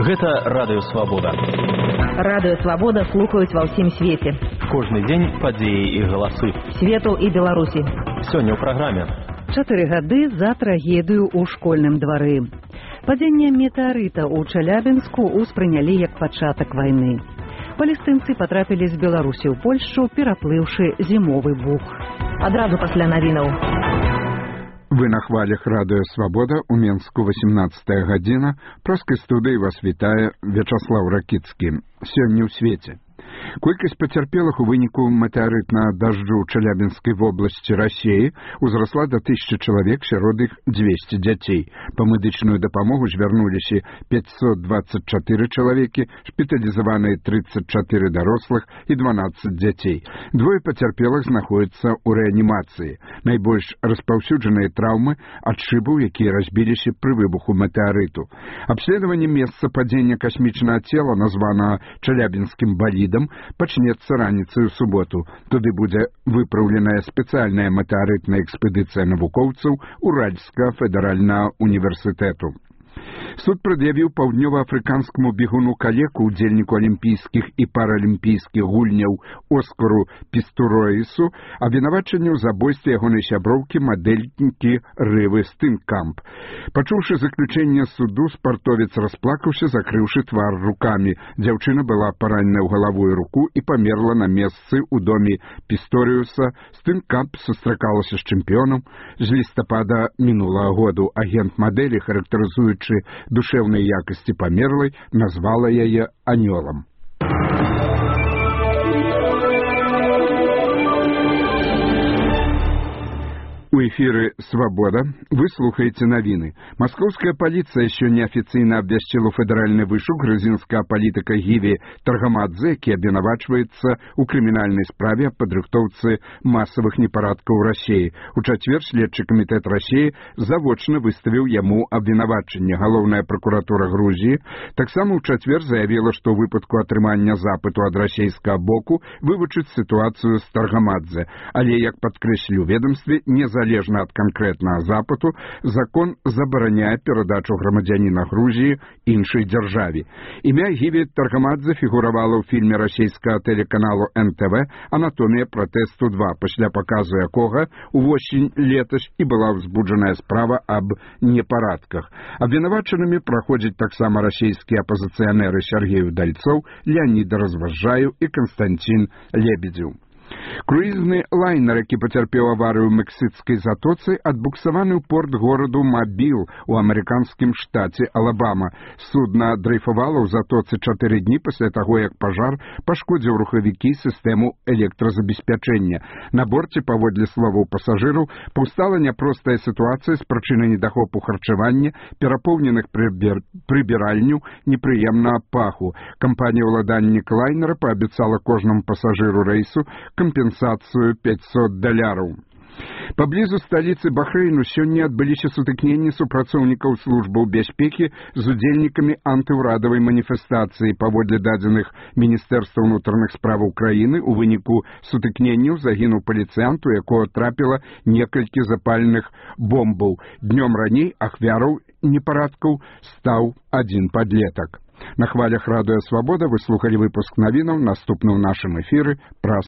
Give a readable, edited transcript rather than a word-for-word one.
Гэта радыё Свабода. Радыё Свабода слухаюць ва ўсім свеце. Кожны дзень падзеі і галасы. Свету і Беларусі. Сёння ў праграме. 4 гады за трагедыю ў школьным двары. Падзенне метэарыта ў Челябінску ўспрынялі як пачатак вайны. Палестынцы патрапілі з Беларусі ў Польшчу, пераплыўшы зімовы бух. Адразу пасля навінаў. Вы на хвалях радыё Свабода, у Менску 18 гадзіна. Праскай студыі вас вітае Вячаслаў Ракіцкі. Сёння ў свеце. Колькасць пацярпелых у выніку метэарытнага дажджу ў Челябінскай вобласці Расіі узрасла да 1000 чалавек, сярод іх 200 дзяцей. Па медычную дапамогу звярнуліся 524 чалавекі, шпіталізаваныя 34 дарослых і 12 дзяцей. Двое пацярпелых знаходзяцца ў рэанімацыі. Найбольш распаўсюджаныя траўмы ад шыбаў, якія разбіліся пры выбуху метэарыту. Абследаванне месца падзення касмічнага цела, названага Челябінскім балідам, пачнецца раніцай у суботу. Туды будзе выпраўленая спецыяльная метэарытная экспедыцыя навукоўцаў Уральскага федэральнага універсітэту. Суд прад'явіў паўднёваафрыканскаму бегуну калеку, удзельніку алімпійскіх і паралімпійскіх гульняў Оскару Пістуроісу, абвінавачанне ў забойстве ягонай сяброўкі, мадэльнікі Рывы Стынкамп. Пачуўшы заключэнне суду, спартовец расплакаўся, закрыўшы твар рукамі. Дзяўчына была паранена ў галаву і руку і памерла на месцы ў доме Пісторыуса. Стынкамп сустракалася з чэмпіёнам. З лістапада мінулага году агент мадэлі, характарызуючы душэўнай якасці памерлай, назвала яе анёлам. У эфіры «Свабода» вы слухаеце навіны. Маскоўская паліцыя сёння афіцыйна абвясціла федэральны вышук грузінскага палітыка Гіві Таргамадзе, які абвінавачваецца ў крымінальнай справе аб падрыхтоўцы масавых непарадкаў у Расіі. У чацвер следчы камітэт Расіі завочна выставіў яму абвінавачанне. Галоўная пракуратура Грузіі таксама ў чацвер заявіла, што ў выпадку атрымання запыту ад расійскага боку вывучыць сітуацыю з Таргамадзе. Але, як падкрэслілі ў ведамстве, незалежна ад канкрэтнага запыту, закон забараняе перадачу грамадзяніна Грузіі іншай дзяржаве. Імя Гіві Таргамадзе фігуравала ў фільме расійскага тэлеканалу НТВ «Анатомія пратэсту 2», пасля паказу якога увосень летась і была ўзбуджаная справа аб непарадках. Абвінавачанымі праходзяць таксама расійскія апазіцыянеры Сергей Удальцоў, Леонід Разважаю і Константин Лебедзеў. Круізны лайнер, які пацярпеў аварыю ў Мексікскай затоцы, адбуксаваны ў порт гораду Мабіл у амерыканскім штаце Алабама. Судна дрейфавала ў затоцы 4 дні пасля таго, як пажар пашкодзіў рухавікі сістэму электразабеспячэння. На борце, паводле словаў пасажыраў, паўстала няпростая сітуацыя з прычыны недахопу харчавання, перапоўненых прыбіральняў, непрыемнага паху. Кампанія-ўладальнік лайнера паабяцала кожнаму пасажыру рэйсу кампенсацыю $500. Паблізу сталіцы Бахрэйну сёння адбыліся сутыкненні супрацоўнікаў службаў бяспекі з удзельнікамі антыўрадавай маніфестацыі. Паводле дадзеных Міністэрства ўнутраных справаў краіны, у выніку сутыкненняў загінуў паліцыянт, у якога трапіла некалькі запальных бомбаў. Днём раней ахвяраў непарадкаў стаў адзін падлетак. На хвалях радыё Свабода вы слухалі выпуск навінаў. Наступны ў нашым эфіры праз